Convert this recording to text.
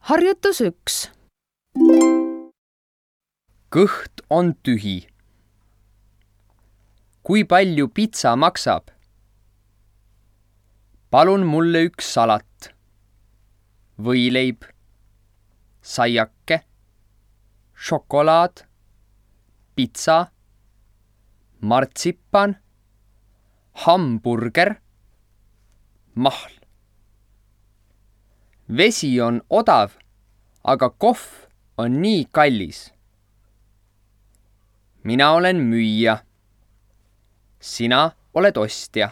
Harjutus 1. Kõht on tühi. Kui palju pitsa maksab? Palun mulle üks salat, võileib, saiake, šokolaad, pitsa, martsipan, hamburger, mahl. Vesi on odav, aga kohv on nii kallis. Mina olen müüja. Sina oled ostja.